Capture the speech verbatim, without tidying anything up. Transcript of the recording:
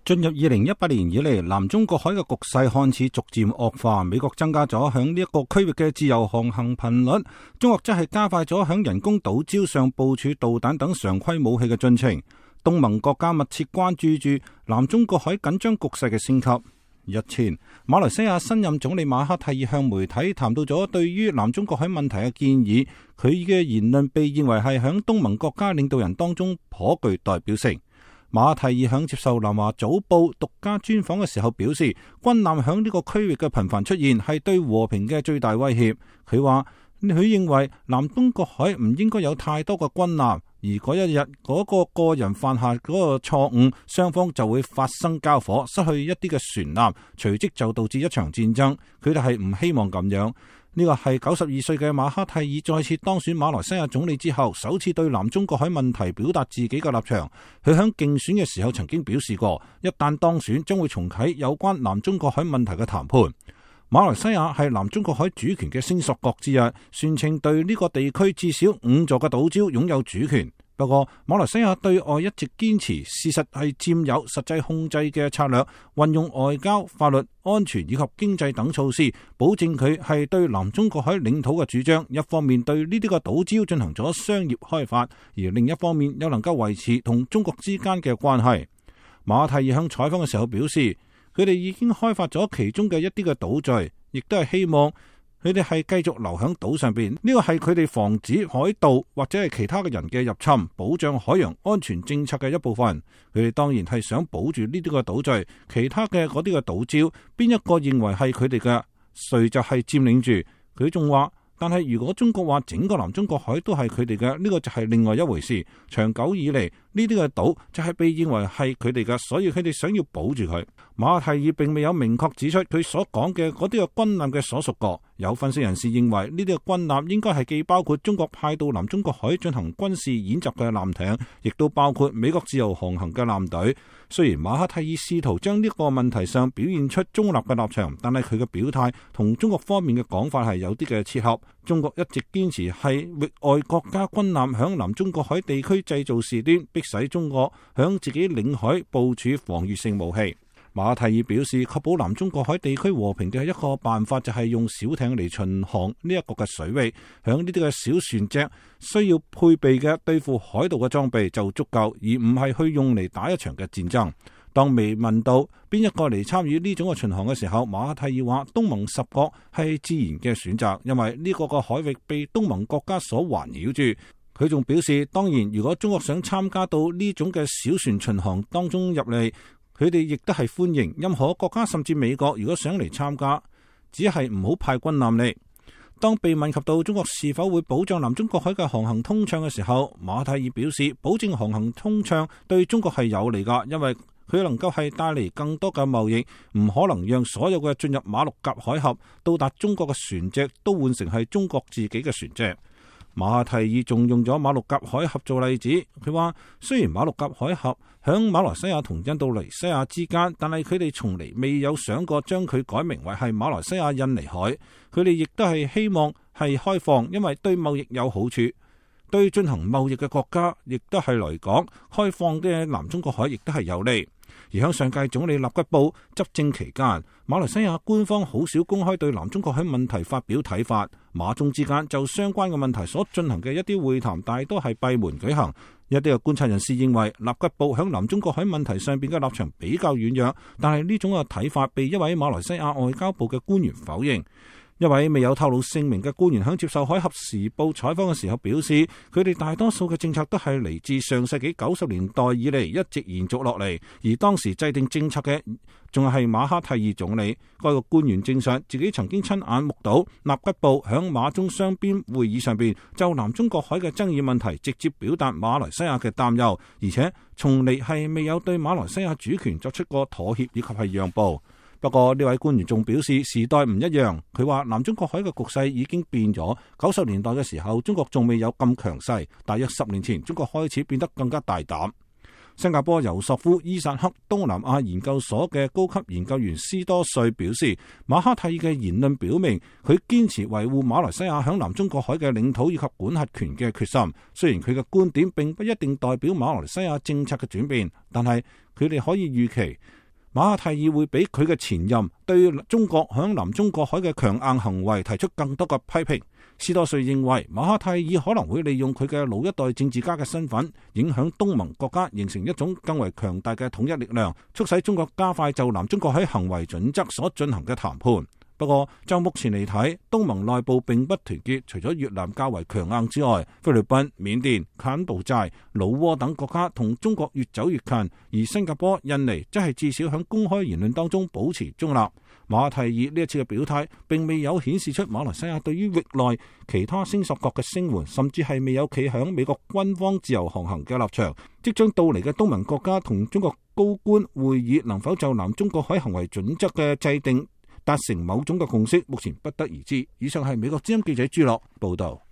進入二零一八年以嚟，南中國海嘅局勢看似逐漸惡化。美國增加咗響呢一個區域嘅自由航行頻率，中國則係加快咗響人工島礁上部署導彈等常規武器嘅進程。東盟國家密切關注住南中國海緊張局勢嘅升級。日前，馬來西亞新任總理馬哈蒂爾向媒體談到咗對於南中國海問題嘅建議，佢嘅言論被認為係響東盟國家領導人當中頗具代表性。馬哈蒂爾響接受南華早報獨家專訪嘅時候表示，軍艦響呢個區域嘅頻繁出現係對和平嘅最大威脅。佢話佢認為南中國海唔應該有太多嘅軍艦，而嗰一日嗰個個人犯下嗰個錯誤，雙方就會發生交火，失去一啲嘅船艦，隨即就導致一場戰爭。佢哋係唔希望咁樣。呢個係九十二歲嘅馬哈蒂爾再次當選馬來西亞總理之後，首次對南中國海問題表達自己嘅立場。佢響競選嘅時候曾經表示過，一旦當選，將會重啟有關南中國海問題嘅談判。馬來西亞係南中國海主權嘅聲索國之一，宣稱對呢個地區至少五座嘅島礁擁有主權。不過，馬來西亞對外一直堅持事實係佔有實際控制嘅策略，運用外交、法律、安全以及經濟等措施，保證佢係對南中國海領土嘅主張。一方面對呢啲個島礁進行咗商業開發，而另一方面又能夠維持同中國之間嘅關係。馬哈蒂爾向採訪嘅時候表示，佢哋已經開發咗其中嘅一啲嘅島嶼，亦都係希望佢哋係繼續留喺島上邊，呢個係佢哋防止海盜或者係其他嘅人嘅入侵，保障海洋安全政策嘅一部分。佢哋當然係想保住呢啲嘅島嶼，其他嘅嗰啲嘅島礁，邊一個認為係佢哋嘅，誰就係佔領住。佢仲話，但係如果中國話整個南中國海都係佢哋嘅，呢個就係另外一回事。長久以嚟，呢啲嘅島就係被認為係佢哋嘅，所以佢哋想要保住佢。馬哈蒂爾並未有明確指出佢所講嘅嗰啲嘅軍艦嘅所屬國。有分析人士認為，呢啲嘅軍艦應該係既包括中國派到南中國海進行軍事演習嘅艦艇，亦都包括美國自由航行嘅艦隊。雖然馬哈蒂爾試圖將呢個問題上表現出中立嘅立場，但係佢嘅表態同中國方面嘅講法係有啲嘅切合。中國一直堅持係域外國家軍艦響南中國海地區製造事端，迫使中國響自己領海部署防禦性武器。馬哈蒂爾表示，確保南中國海地區和平嘅一個辦法就係用小艇嚟巡航呢一個嘅水域，響呢啲嘅小船隻需要配備嘅對付海盜嘅裝備就足夠，而唔係去用嚟打一場嘅戰爭。當未問到邊一個嚟參與呢種嘅巡航嘅時候，馬哈蒂爾話東盟十國係自然嘅選擇，因為呢個嘅海域被東盟國家所環繞住。佢仲表示，當然如果中國想參加到呢種嘅小船巡航當中入嚟，佢哋亦都係歡迎。任何國家甚至美國如果想嚟參加，只係唔好派軍艦嚟。當被問及到中國是否會保障南中國海嘅航行通暢嘅時候，馬哈蒂爾表示，保證航行通暢對中國係有利㗎，因為佢能夠係帶嚟更多嘅貿易，唔可能讓所有嘅進入馬六甲海峽到達中國嘅船隻都換成係中國自己嘅船隻。馬哈蒂爾仲用咗馬六甲海峽做例子，佢話雖然馬六甲海峽響馬來西亞同印度尼西亞之間，但係佢哋從嚟未有想過將佢改名為係馬來西亞印尼海。佢哋亦都係希望係開放，因為對貿易有好處，對進行貿易嘅國家亦都係嚟講，開放嘅南中國海亦都係有利。而喺上屆總理納吉布執政期間，馬來西亞官方好少公開對南中國海問題發表睇法，馬中之間就相關嘅問題所進行嘅一啲會談，大多係閉門舉行。一啲嘅觀察人士認為，納吉布喺南中國海問題上邊嘅立場比較軟弱，但係呢種嘅睇法被一位馬來西亞外交部嘅官員否認。一位未有透露姓名嘅官員喺接受《海峽時報》採訪嘅時候表示，佢哋大多數嘅政策都係嚟自上世紀九十年代以嚟一直延續落嚟，而當時制定政策嘅仲係馬哈蒂爾總理。該個官員證實自己曾經親眼目睹納吉布響馬中雙邊會議上邊就南中國海嘅爭議問題直接表達馬來西亞嘅擔憂，而且從嚟係未有對馬來西亞主權作出過妥協以及係讓步。不過呢位官員仲表示，時代唔一樣。佢話南中國海嘅局勢已經變咗。九十年代嘅時候，中國仲未有咁強勢，大約十年前，中國開始變得更加大膽。新加坡尤索夫伊薩克東南亞研究所嘅高級研究員斯多瑞表示，馬哈蒂爾嘅言論表明佢堅持維護馬來西亞響南中國海嘅領土以及管轄權嘅決心。雖然佢嘅觀點並不一定代表馬來西亞政策嘅轉變，但係佢哋可以預期馬哈蒂爾會比佢嘅前任對中國響南中國海嘅強硬行為提出更多嘅批評。斯多瑞認為馬哈蒂爾可能會利用佢嘅老一代政治家嘅身份，影響東盟國家，形成一種更為強大嘅統一力量，促使中國加快就南中國海行為準則所進行嘅談判。不過就目前嚟睇，東盟內部並不團結，除咗越南較為強硬之外，菲律賓、緬甸、柬埔寨、老撾等國家同中國越走越近，而新加坡、印尼則係至少喺公開言論當中保持中立。馬哈蒂爾呢一次嘅表態並未有顯示出馬來西亞對於域內其他聲索國嘅聲援，甚至係未有企響美國軍方自由航行嘅立場。即將到嚟嘅東盟國家同中國高官會議能否就南中國海行為準則嘅制定達成某種嘅共識，目前不得而知。以上係美國之音記者朱樂報道。